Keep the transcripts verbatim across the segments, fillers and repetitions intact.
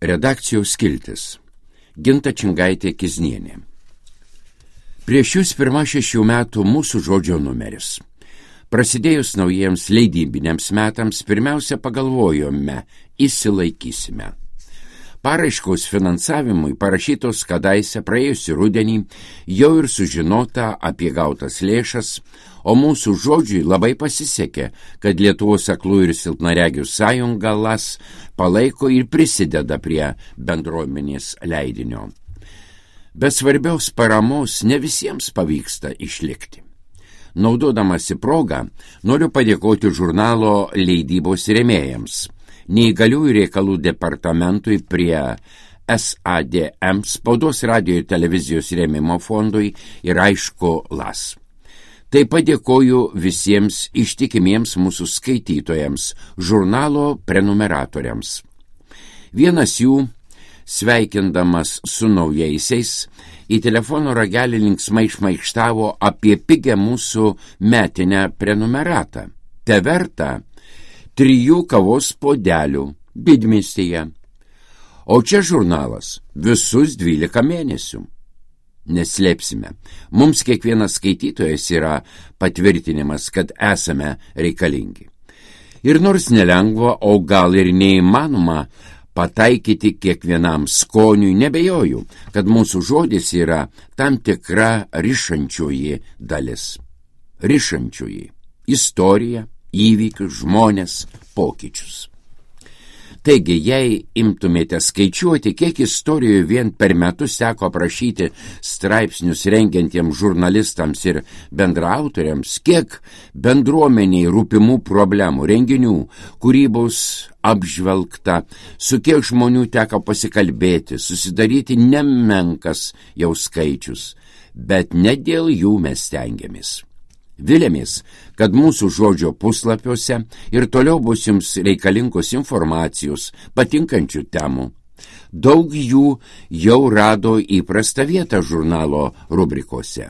Redakcijos skiltis. Ginta Čingaitė-Kiznienė. Prieš jūs pirmą šešių metų mūsų žodžio numeris. Prasidėjus naujiems leidybiniams metams, pirmiausia pagalvojome, įsilaikysime. Paraiškos finansavimui parašytos kadaise praėjusį rudenį, jau ir sužinota apie gautas lėšas, o mūsų žodžiui labai pasisekė, kad Lietuvos aklų ir silpnaregių sąjunga L A S palaiko ir prisideda prie bendruomenės leidinio. Be svarbiaus paramos ne visiems pavyksta išlikti. Naudodamasi progą, noriu padėkoti žurnalo leidybos rėmėjams, Neįgaliųjų reikalų departamentui prie S A D M, Spaudos radijo ir televizijos rėmimo fondui ir aišku L A S. Taip pat dėkoju visiems ištikimiems mūsų skaitytojams, žurnalo prenumeratoriams. Vienas jų, sveikindamas su naujaisiais, į telefono ragelį linksmai šmaikštavo apie pigę mūsų metinę prenumeratą. Te verta trijų kavos puodelių Didmiestyje. O čia žurnalas visus dvylika mėnesių. Neslėpsime, mums kiekvienas skaitytojas yra patvirtinimas, kad esame reikalingi. Ir nors nelengva, o gal ir neįmanoma pataikyti kiekvienam skoniui, nebejoju, kad mūsų žodis yra tam tikra rišančioji dalis. Rišančioji istorija, įvykius, žmonės, pokyčius. Taigi, jei imtumėte skaičiuoti, kiek istorijų vien per metus teko aprašyti straipsnius rengiantiems žurnalistams ir bendraautoriams, kiek bendruomeniai rūpimų problemų, renginių, kūrybos apžvelgta, su kiek žmonių teko pasikalbėti, susidaryti nemenkas jau skaičius, bet ne dėl jų mes stengiamės. Vilėmės, kad mūsų žodžio puslapiuose ir toliau bus jums reikalingos informacijos, patinkančių temų. Daug jų jau rado įprastą vietą žurnalo rubrikose.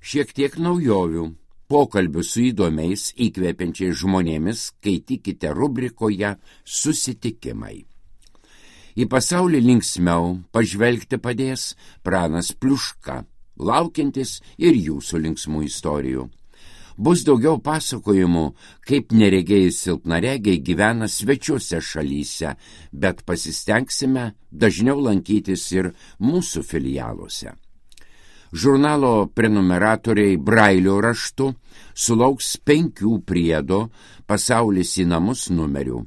Šiek tiek naujovių, pokalbių su įdomiais, įkvepiančiais žmonėmis skaitykite rubrikoje Susitikimai. Į pasaulį linksmiau pažvelgti padės Pranas Pliuška, laukiantis ir jūsų linksmų istorijų. Bus daugiau pasakojimų, kaip neregėjai silpnaregiai gyvena svečiuose šalyse, bet pasistengsime dažniau lankytis ir mūsų filialuose. Žurnalo prenumeratoriai brailio raštu sulauks penkių priedo Pasaulis į namus numerių.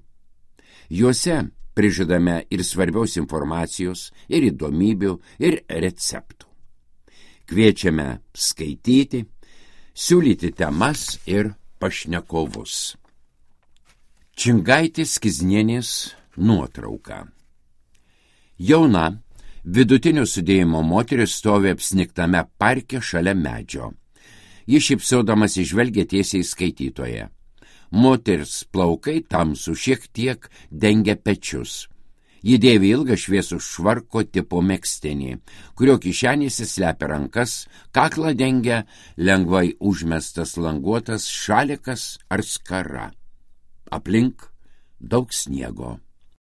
Juose prižadame ir svarbiaus informacijos, ir įdomybių, ir receptų. Kviečiame skaityti, siūlyti temas ir pašnekovus. Čingaitės-Kiznienės nuotrauka. Jauna, vidutinio sudėjimo moteris stovi apsnigtame parke šalia medžio. Ji šypsodamas įžvelgia tiesiai skaitytoje. Moters plaukai tamsų šiek tiek dengia pečius. Ji dėvi ilgą šviesų švarko tipo megztinį, kurio kišenėse slepia rankas, kaklą dengia lengvai užmestas languotas šalikas ar skara. Aplink daug sniego.